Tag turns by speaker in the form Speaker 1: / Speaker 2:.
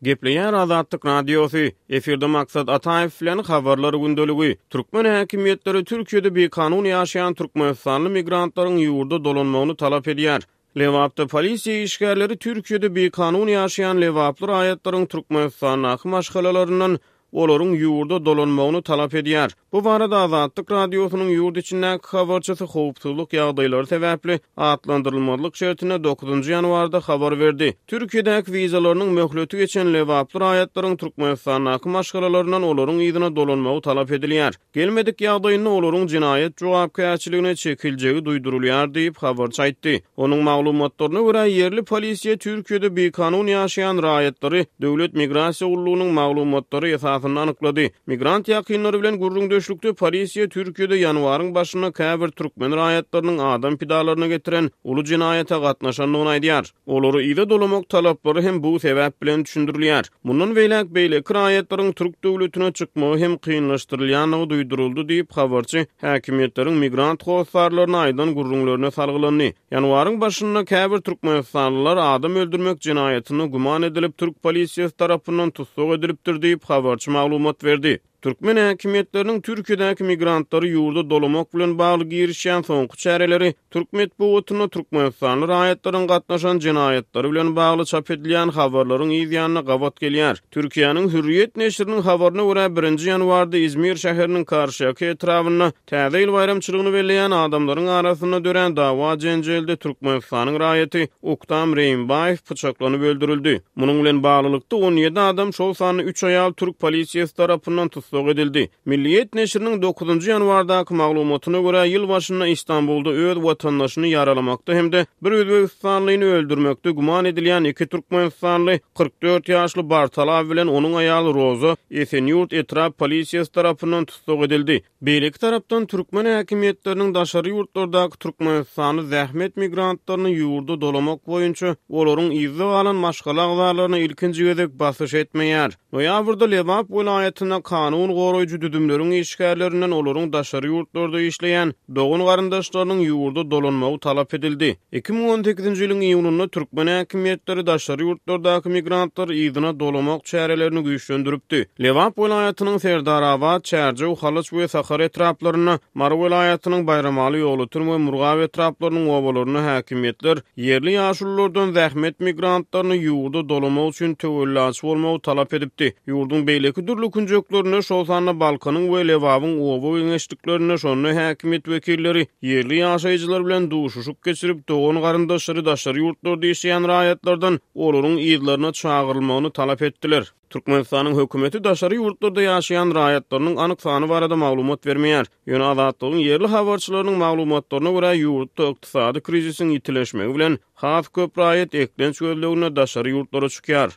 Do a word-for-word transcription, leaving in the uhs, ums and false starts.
Speaker 1: Gepleýär Azatlyk Radiosy, efirde Maksat Ataýew bilen Habarlar gündeligi. Türkmen häkimiýetleri Türkiýede bikanun ýaşaýan türkmenistanly migrantlaryň ýurda dolanmagyny talap edýär. Lebapda polisiýa işgärleri Türkiýede bikanun ýaşaýan lebaply raýatlaryň Türkmenistandaky maşgalalaryndan olaryň ýurda dolanmagyny talap edýär. Bu barada Azatlyk Radiosynyň ýurt içindäki habarçysy howpsuzlyk ýagdaýlary sebäpli atlandyrylmazlyk şertinde dokuzynjy ýanwarda habar berdi. Türkiýedäki wizalarynyň möhleti geçen lebaply raýatlaryň Türkmenistandaky maşgalalaryndan olaryň yzyna dolanmagy talap edilýär. Gelmedik ýagdaýynda olaryň jenaýat jogapkärçiligine çekiljegi duýdurylýar diýip, habarçy aýtdy. Onuň maglumatlaryna görä, ýerli polisiýa Türkiýede bikanun ýaşaýan raýatlary Döwlet migrasiýa gullugynyň maglumatlary esasynda anyklady. Migrant ýakynlary bilen gürrüňdeşlikde polisiýa Türkiýede ýanwaryň başynda käbir türkmen raýatlarynyň adam pidalaryna getiren uly jenaýata gatnaşandygyny aýdýar. Olary yza dolamak talaplary hem bu sebäp bilen düşündirilýär. Mundan beýläk beýleki raýatlaryň türk döwletine çykmagy hem kynlaşdyrylýandygy duýduryldy diýip, habarçy häkimiýetleriň migrant hossarlaryna aýdan gürrüňlerine salgylandy. Ýanwaryň başynda käbir türkmenistanlylar adam öldürmek jenaýatynda güman edilip, türk polisiýasy tarapyndan tussag edilipdir diýip, habarçy maglumat berdi. Türkmen häkimiýetleriniň Türkiýedäki migrantlary ýurda dolamak bilen bagly girişýän soňky çäreleri türk metbugatynda türkmenistanly raýatlaryň gatnaşan jenaýatlary bilen bagly çap edilýän habarlaryň yz ýanyna gabat gelýär. Türkiýäniň Hürriýet neşiriniň habaryna görä, birinji ýanwarda Izmir şäheriniň Karşyýaka etrabynda Täze ýyl baýramçylygyny belleýän adamlaryň arasynda dörän dawa-jenjelde Türkmenistanyň raýaty Uktam Reýimbaýew pyçaklanyp öldürildi. Munuň bilen baglylykda, on ýedi adam, şol sanda üç aýal türk polisiýasy tarapyndan tussag edildi. Milliýet neşiriniň dokuzynjy ýanwardaky maglumatyna görä, ýyl başynda Istanbulda öz watandaşyny ýaralamakda hem-de bir özbegistanlyny öldürmekde güman edilýän iki türkmenistanly, kyrk dört ýaşly Bartalaw bilen onuň aýaly Roza Esenýurt etrap polisiýasy tarapyndan tussag edildi. Beýleki tarapdan, türkmen häkimiýetleriniň daşary ýurtlardaky türkmenistanly zähmet migrantlaryny ýurda dolamak boýunça olaryň yzda galan maşgala agzalaryna ilkinji gezek basyş etmeýär. Noýabrda Lebap welaýatynda kanun goraýjy düzümleriň işgärlerinden olaryň daşary ýurtlarda işleýän dogan-garyndaşlarynyň ýurda dolanmagy talap edildi. Iki müň on sekizinji ýylyň iýunynda türkmen häkimiýetleri daşary ýurtlardaky migrantlary yzyna dolamak çärelerini güýçlendiripdi. Lebap welaýatynyň Serdarabat, Çärjew, Halaç we Sakar etraplarynda, Mary welaýatynyň Baýramaly, Ýolöten we Murgap etraplarynyň obalarynda häkimiýetler ýerli ýaşululardan zähmet migrantlaryny ýurda dolamak üçin töwellaçy bolmagy talap edipdi. Ýurduň beýleki dürli künjeklerinde, şol sanda Balkanyň we Lebabyň oba geňeşliklerinde şonda häkimiýet wekilleri ýerli ýaşaýjylar bilen duşuşyk geçirip, dogan-garyndaşlary daşary ýurtlarda işleýän raýatlardan olaryň yzlaryna çagyrylmagyny talap etdiler. Türkmenistanyň hökümeti daşary ýurtlarda ýaşaýan raýatlarynyň anyk sany barada maglumat bermeýär. Ýöne Azatlygyň ýerli habarçylarynyň maglumatlaryna görä, ýurtda ykdysady krizisiň ýitileşmegi bilen has köp raýat eklenç gözleginde daşary ýurtlara çykýar.